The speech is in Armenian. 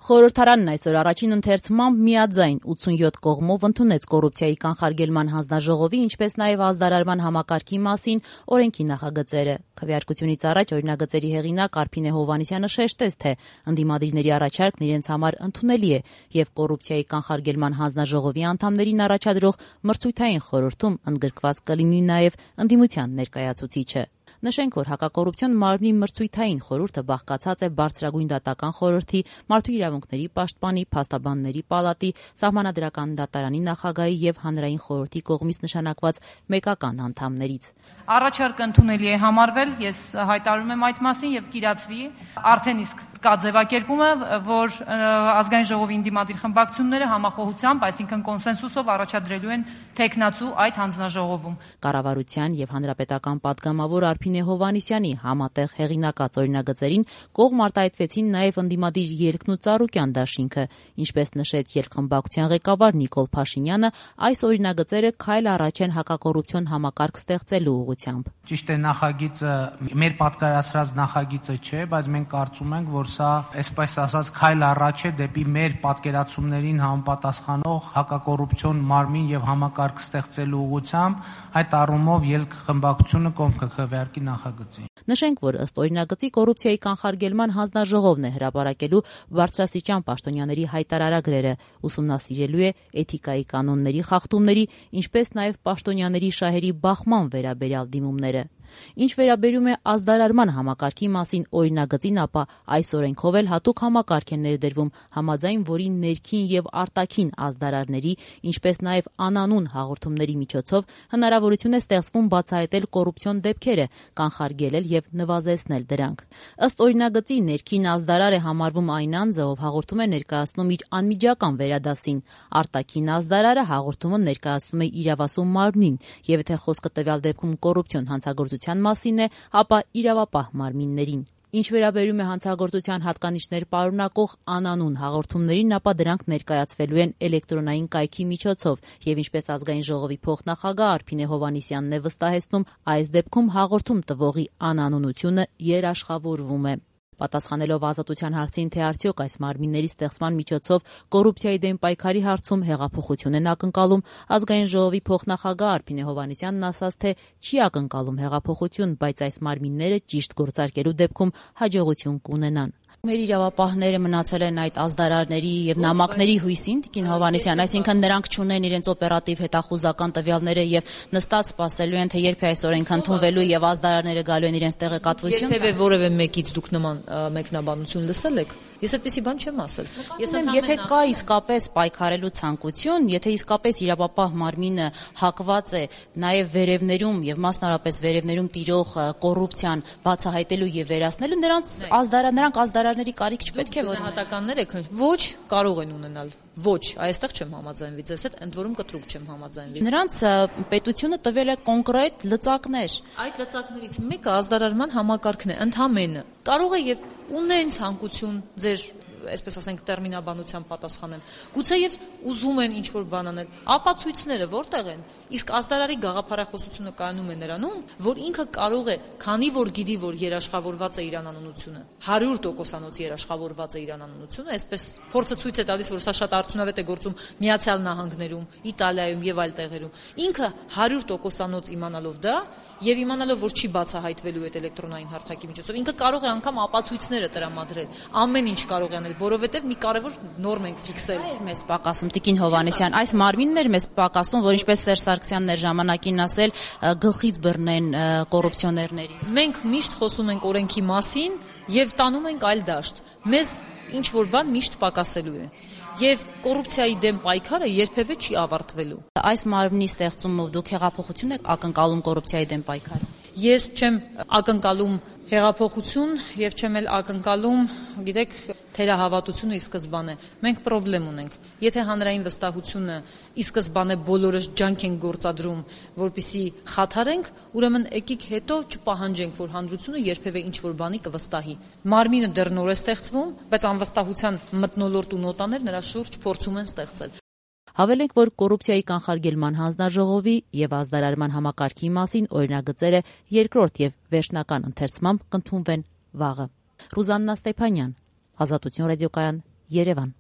Խորհրդարանն այսօր առաջին ընթերցմամբ միաձայն 87 կողմով ընդունեց կոռուպցիայի կանխարգելման հանձնաժողովի, ինչպես նաև ազդարարման համակարգի մասին օրենքի նախագծերը։ Քվեարկությունից առաջ օրինագծերի հեղինակ Արփինե Հովհաննիսյանը շեշտեց, թե ընդդիմադիրների առաջարկն իրենց համար ընդունելի է եւ կոռուպցիայի կանխարգելման հանձնաժողովի անդամներին առաջադրող մրցույթային խորհրդում ընդգրկված կլինի նաև ընդդիմության ներկայացուցիչը։ Նշենք, որ հակակոռուպցիոն մարմնի մրցույթային խորհուրդը բաղկացած է բարձրագույն դատական խորհրդի, մարդու իրավունքների պաշտպանի, փաստաբանների պալատի, սահմանադրական դատարանի նախագահի եւ հանրային խորհրդի կողմից նշանակված մեկական անդամներից։ Առաջարկը ընդունելի է համարվել, ես հայտարարում եմ այդ մասին եւ կիրացվի։ Արդեն իսկ կա ձևակերպումը, որ ազգային ժողովի ընդդիմադիր խմբակցությունները համախոհությամբ, այսինքն կոնսենսուսով առաջադրելու են թեկնածու այդ հանձնաժողովում։ Կառավարության եւ հանրապետական պատգամավոր Արփինե Հովհաննիսյանի համատեղ հեղինակած օրինագծերին կողմ արտահայտվեցին նաեւ ընդդիմադիր Ելքն ու Ծառուկյան դաշինքը, ինչպես նշեց Ելք-խմբակցության ղեկավար Նիկոլ Փաշինյանը, այս օրինագծերը քայլ առաջ են հակակոռուպցիոն համակարգ ստեղծելու ուղղությամբ։ Ճիշտ է, նախագիծը մեր պատկերացրած նախագիծը չէ, բայց մենք կարծում ենք, որ սա, այսպես ասած, քայլ առաջ է դեպի մեր պատկերացումներին համապատասխանող հակակոռուպցիոն մարմին եւ համակարգ ստեղծելու ուղղությամբ, այդ առումով Ելք-խմբակցությունը կողմ կքվեարկի նախագծին։ Նշենք, որ ըստ օրինագծի կոռուպցիայի կանխարգելման հանձնաժողովն է հրապարակելու բարձրաստիճան պաշտոնյաների հայտարարագրերը, ուսումնասիրելու է էթիկայի կանոնների խախտումների, ինչպես նաև պաշտոնյաների շահերի բախման վերաբերյալ դիմումները։ Ինչ վերաբերում է ազդարարման համակարգի մասին օրինագծին, ապա այս օրենքով էլ հատուկ համակարգ է ներդրվում, համաձայն որի ներքին եւ արտաքին ազդարարների, ինչպես նաև անանուն հաղորդումների միջոցով հնարավորություն է ստեղծվում բացահայտել կոռուպցիոն դեպքերը, կանխարգելել եւ նվազեցնել դրանք։ Ըստ օրինագծի ներքին ազդարար է համարվում այն անձը, ով հաղորդում է ներկայացնում իր անմիջական վերադասին, արտաքին ազդարարը հաղորդումը ներկայացնում է իրավասու մարմնին, եւ եթե խոսքը տվյալ դեպքում կոռուպցիոն հանցագործության մասին է, ապա իրավապահ մարմիններին։ Ինչ վերաբերում է հանցագործության հատկանիշներ պարունակող անանուն հաղորդումներին, ապա դրանք ներկայացվելու են էլեկտրոնային կայքի միջոցով եւ ինչպես ազգային ժողովի փոխնախագահ Արփինե Հովհաննիսյանն է վստահեցնում, այս դեպքում հաղորդում տվողի անանունությունը երաշխավորվում է։ Պատասխանելով Ազատության հարցին, թե արդյոք այս մարմինների ստեղծման միջոցով կոռուպցիայի դեմ պայքարի հարցում հեղափոխություն են ակնկալում, ազգային ժողովի փոխնախագահ Արփինե Հովհաննիսյանն ասաց, թե չի ակնկալում հեղափոխություն, բայց այս մարմինները ճիշտ գործարկելու դեպքում հաջողություն կունենան։ Մեր իրավապահները մնացել են այդ ազդարարների եւ նամակների հույսին, Տիկին Հովհաննիսյան, այսինքն նրանք չունեն իրենց օպերատիվ հետախուզական տվյալները եւ նստած սպասելու են, թե երբ է այս օրենքը ընդունվելու եւ ազդարարները գալու են իրենց տեղեկատվություն։ Երբևէ որևէ մեկից դուք նման մեկնաբանություն լսել եք։ Ես այդպեսի բան չեմ ասել։ Եթե կա իսկապես պայքարելու ցանկություն, եթե իսկապես իրավապահ մարմինը հակված է նաև վերևներում եւ մասնարարպես վերևներում տիրող կոռուպցիան բացահայտելու եւ վերացնելու, նրանք ազդարարների կարիք չպետք է որ հատականներ եք ոչ կարող են ունենալ։ Ոչ, այստեղ չեմ համաձայնվի ձեզ հետ, ընդ որում կտրուկ չեմ համաձայնվի։ Նրանց պետությունը տվել է կոնկրետ լծակներ։ Այդ լծակներից մեկը ազդարարման համակարգն է, ընդհանրապես։ Կարող է եւ ունեն ցանկություն ձեր, այսպես ասենք, տերմինաբանության պատասխանեմ։ Գուցե եւ ուզում են ինչ-որ բան անել։ Ապացույցները որտեղ են։ Իսկ ազդարարի գաղափարախոսությունը կայանում է նրանում, որ ինքը կարող է, քանի որ գիտի, որ երաշխավորված է իր անանունությունը, 100% երաշխավորված է իր անանունությունը, այսպես փորձը ցույց է տալիս, որ սա շատ արդյունավետ է գործում Միացյալ Նահանգներում, Իտալիայում եւ այլ տեղերում։ Ինքը 100% իմանալով դա եւ իմանալով, որ չի բացահայտվելու այդ էլեկտրոնային հարթակի միջոցով, ինքը կարող է անգամ ապացույցները տրամադրել, ամեն ինչ կարող է անել, որովհետեւ մի կարևոր նորմ ենք ֆիքսել։ Մեզ պակասում, Տիկին Հովհաննիսյան, այս մարմիններ մեզ պակասում, որ ինչպես Սերժ Սարգսյանն էր ժամանակին ասել, գլխից բռնեն կոռուպցիոներներին։ Մենք միշտ խոսում ենք օրենքի մասին եւ տանում ենք այլ դաշտ։ Մեզ ինչ որ բան միշտ պակասելու է։ Եվ կոռուպցիայի դեմ պայքարը երբևէ չի ավարտվելու։ Այս մարմնի ստեղծումով դուք հեղափոխություն եք ակնկալում կոռուպցիայի դեմ պայքարը։ Ես չեմ ակնկալում հեղափոխություն եւ չեմ էլ ակնկալում, գիտեք, թերահավատությունը ի սկզբանե։ Մենք խնդրեմ ունենք։ Եթե հանրային վստահությունը ի սկզբանե բոլորս ջանք են գործադրում, որպեսզի խաթարենք, ուրեմն եկիք հետո չպահանջենք, որ հանրությունը երբևէ ինչ-որ բանի կվստահի։ Մարմինը դեռ նոր է ստեղծվում, բայց անվստահության մթնոլորտ ու նոտաներ նրա շուրջ փորձում են ստեղծել։ Հավելենք, որ կոռուպցիայի կանխարգելման հանձնաժողովի եւ ազդարարման համակարգի մասին օրինագծերը երկրորդ եւ վերջնական ընթերցմամբ կընդունվեն վաղը։ Ռուզաննա Ստեփանյան, Ազատություն ռադիոկայան, Երևան։